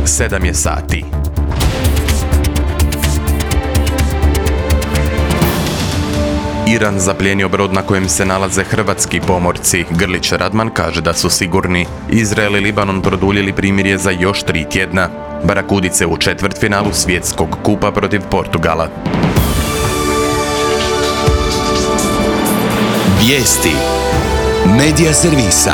7 je sati. Iran zaplijenio brod na kojem se nalaze hrvatski pomorci. Grlić Radman kaže da su sigurni. Izrael i Libanon produljili primirje za još 3 tjedna. Barakudice u četvrtfinalu svjetskog kupa protiv Portugala. Vijesti Medija servisa.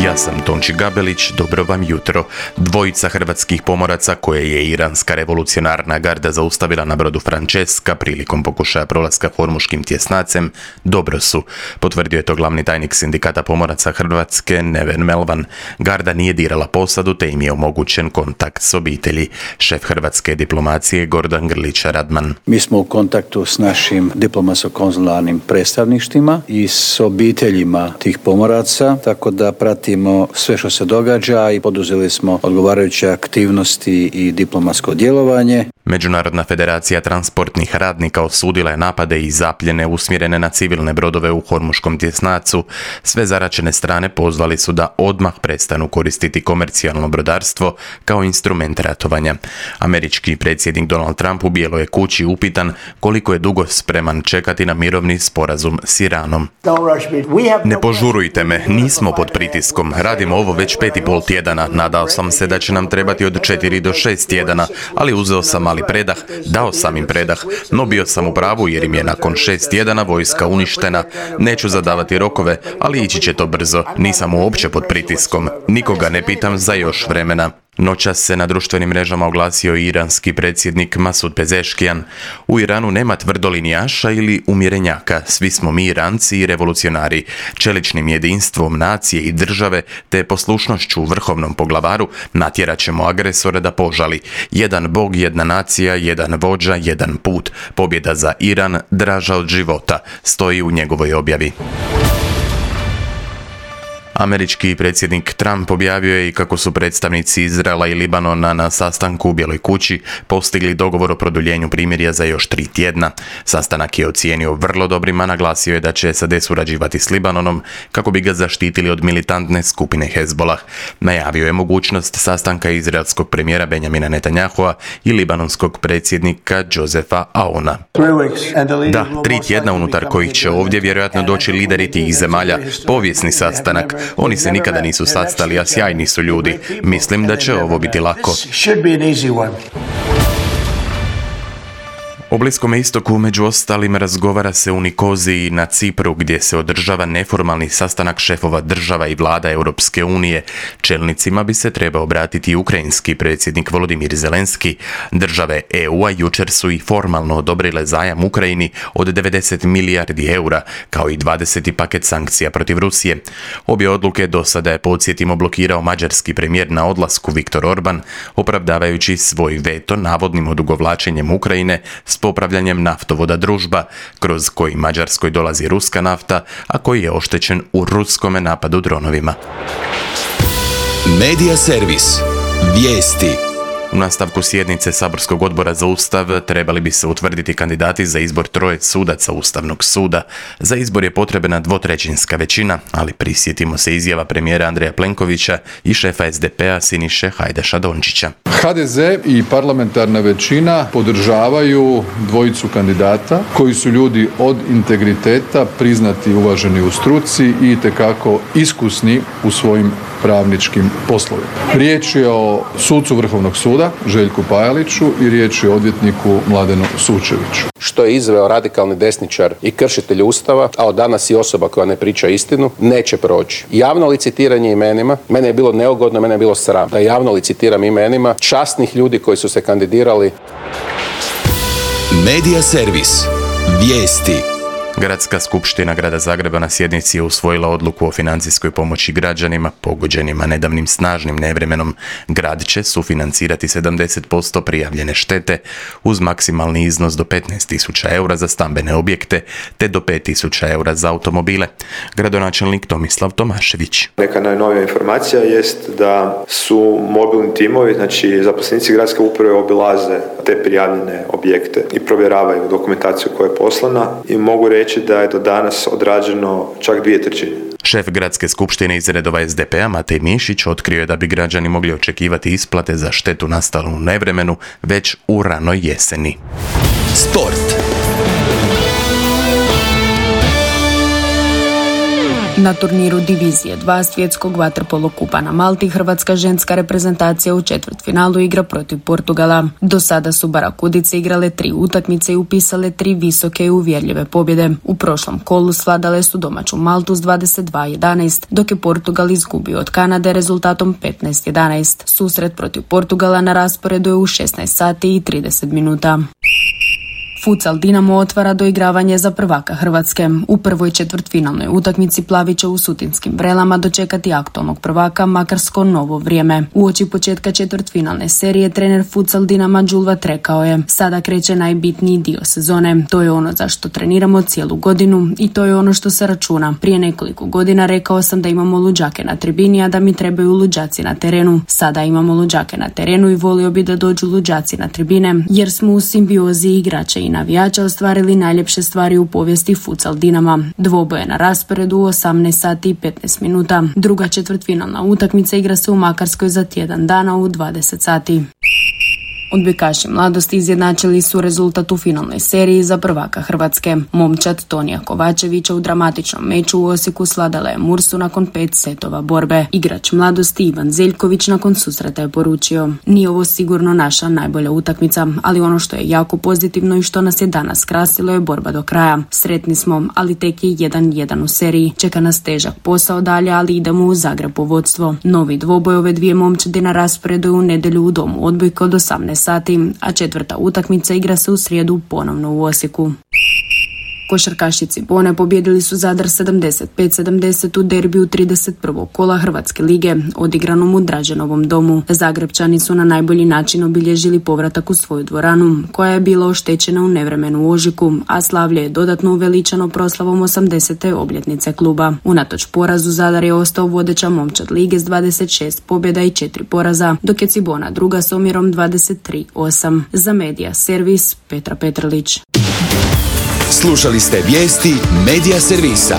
Ja sam Tonči Gabelić, dobro vam jutro. Dvojica hrvatskih pomoraca koje je iranska revolucionarna garda zaustavila na brodu Francesca prilikom pokušaja prolaska Hormuškim tjesnacem dobro su, potvrdio je to glavni tajnik sindikata pomoraca Hrvatske Neven Melvan. Garda nije dirala posadu te im je omogućen kontakt s obitelji. Šef hrvatske diplomacije Gordan Grlić Radman. Mi smo u kontaktu s našim diplomatsko-konzularnim predstavništvima i s obiteljima tih pomoraca, tako da pratimo sve što se događa i poduzeli smo odgovarajuće aktivnosti i diplomatsko djelovanje. Međunarodna federacija transportnih radnika osudila je napade i zapljene usmjerene na civilne brodove u Hormuškom tjesnacu. Sve zaraćene strane pozvali su da odmah prestanu koristiti komercijalno brodarstvo kao instrument ratovanja. Američki predsjednik Donald Trump u Bijeloj je kući upitan koliko je dugo spreman čekati na mirovni sporazum s Iranom. Ne požurujte me, nismo pod pritiskom. Radimo ovo već 5,5 tjedana. Nadao sam se da će nam trebati od 4 do 6 tjedana, ali uzeo sam mali predah, dao sam im predah, no bio sam u pravu jer im je nakon 6 tjedana vojska uništena. Neću zadavati rokove, ali ići će to brzo. Nisam uopće pod pritiskom. Nikoga ne pitam za još vremena. Noćas se na društvenim mrežama oglasio iranski predsjednik Masud Pezeškijan. U Iranu nema tvrdolinijaša ili umjerenjaka, svi smo mi Iranci i revolucionari. Čeličnim jedinstvom nacije i države te poslušnošću vrhovnom poglavaru natjerat ćemo agresora da požali. Jedan bog, jedna nacija, jedan vođa, jedan put. Pobjeda za Iran draža od života, stoji u njegovoj objavi. Američki predsjednik Trump objavio je i kako su predstavnici Izraela i Libanona na sastanku u Bijeloj kući postigli dogovor o produljenju primirja za još 3 tjedna. Sastanak je ocijenio vrlo dobrim, a naglasio je da će SAD surađivati s Libanonom kako bi ga zaštitili od militantne skupine Hezbollah. Najavio je mogućnost sastanka izraelskog premijera Benjamina Netanyahua i libanonskog predsjednika Josefa Aouna. Da, 3 tjedna unutar kojih će ovdje vjerojatno doći lideri tih zemalja. Povijesni sastanak. Oni se nikada nisu sastali, a sjajni su ljudi. Mislim da će ovo biti lako. O Bliskom istoku među ostalim razgovara se u Nikoziji na Cipru gdje se održava neformalni sastanak šefova država i vlada Europske unije. Čelnicima bi se trebao obratiti i ukrajinski predsjednik Volodimir Zelenski. Države EU-a jučer su i formalno odobrile zajam Ukrajini od 90 milijardi eura, kao i 20. paket sankcija protiv Rusije. Obje odluke do sada je, podsjetimo, blokirao mađarski premijer na odlasku Viktor Orban, opravdavajući svoj veto navodnim odugovlačenjem Ukrajine s popravljanjem naftovoda Družba, kroz koji Mađarskoj dolazi ruska nafta, a koji je oštećen u ruskome napadu dronovima. Medija servis. Vijesti. U nastavku sjednice Saborskog odbora za Ustav trebali bi se utvrditi kandidati za izbor 3 sudaca Ustavnog suda. Za izbor je potrebna 2/3 većina, ali prisjetimo se izjava premijera Andreja Plenkovića i šefa SDP-a Siniše Hajdaša Dončića. HDZ i parlamentarna većina podržavaju dvojicu kandidata koji su ljudi od integriteta, priznati i uvaženi u struci i itekako iskusni u svojim pravničkim poslovima. Riječ je o sucu Vrhovnog suda Željku Pajaliću i riječ je o odvjetniku Mladenu Sučeviću. Što je izveo radikalni desničar i kršitelj Ustava, a od danas i osoba koja ne priča istinu, neće proći. Javno licitiranje imenima, mene je bilo neugodno, mene je bilo sram da javno licitiram imenima časnih ljudi koji su se kandidirali. Medija servis. Vijesti. Gradska skupština Grada Zagreba na sjednici je usvojila odluku o financijskoj pomoći građanima pogođenima nedavnim snažnim nevremenom. Grad će sufinancirati 70% prijavljene štete uz maksimalni iznos do 15.000 eura za stambene objekte te do 5.000 eura za automobile. Gradonačelnik Tomislav Tomašević. Neka najnovija informacija jest da su mobilni timovi, znači zaposlenici gradske uprave obilaze te prijavljene objekte i provjeravaju dokumentaciju koja je poslana i mogu reći da je do danas odrađeno čak 2/3. Šef gradske skupštine iz redova SDP-a Matej Mišić otkrio je da bi građani mogli očekivati isplate za štetu nastalu u nevremenu već u ranoj jeseni. Sport. Na turniru Divizije 2 svjetskog vaterpolo kupa na Malti hrvatska ženska reprezentacija u četvrtfinalu igra protiv Portugala. Do sada su Barakudice igrale 3 utakmice i upisale 3 visoke i uvjerljive pobjede. U prošlom kolu svladale su domaću Maltu s 22-11, dok je Portugal izgubio od Kanade rezultatom 15-11. Susret protiv Portugala na rasporedu je u 16 sati i 30 minuta. Futsal Dinamo otvara doigravanje za prvaka Hrvatske. U prvoj četvrtfinalnoj utakmici Plavi će u Sutinskim Vrelama dočekati aktualnog prvaka Makarsko Novo Vrijeme. Uoči početka četvrtfinalne serije trener Futsal Dinama Đulvat rekao je: sada kreće najbitniji dio sezone. To je ono za što treniramo cijelu godinu i to je ono što se računa. Prije nekoliko godina rekao sam da imamo luđake na tribini, a da mi trebaju luđaci na terenu. Sada imamo luđake na terenu i volio bi da dođu luđaci na tribine, jer smo u simbiozi igrača i navijača ostvarili najljepše stvari u povijesti Futsal Dinama. Dvoboje na rasporedu u 18 sati i 15 minuta. Druga četvrtfinalna utakmica igra se u Makarskoj za tjedan dana u 20 sati. Odbojkaši Mladosti izjednačili su rezultat u finalnoj seriji za prvaka Hrvatske. Momčad Tonija Kovačevića u dramatičnom meču u Osijeku svladala je Mursu nakon 5 setova borbe. Igrač Mladosti Ivan Zeljković nakon susreta je poručio: nije ovo sigurno naša najbolja utakmica, ali ono što je jako pozitivno i što nas je danas krasilo je borba do kraja. Sretni smo, ali tek je 1-1 u seriji. Čeka nas težak posao dalje, ali idemo u Zagreb u vodstvo. Novi dvoboj ove dvije momčadi na rasporedu u nedjelju u domu Odbojka od 18 sati, a četvrta utakmica igra se u srijedu ponovno u Osijeku. Košarkaši Cibone pobjedili su Zadar 75-70 u derbiju 31. kola Hrvatske lige, odigranom u Draženovom domu. Zagrebčani su na najbolji način obilježili povratak u svoju dvoranu, koja je bila oštećena u nevremenu u ožujku, a slavlje je dodatno uveličano proslavom 80. obljetnice kluba. Unatoč porazu Zadar je ostao vodeća momčad lige s 26 pobjeda i 4 poraza, dok je Cibona druga s omjerom 23-8. Za Medija servis Petra Petrlić. Slušali ste vijesti Medija servisa.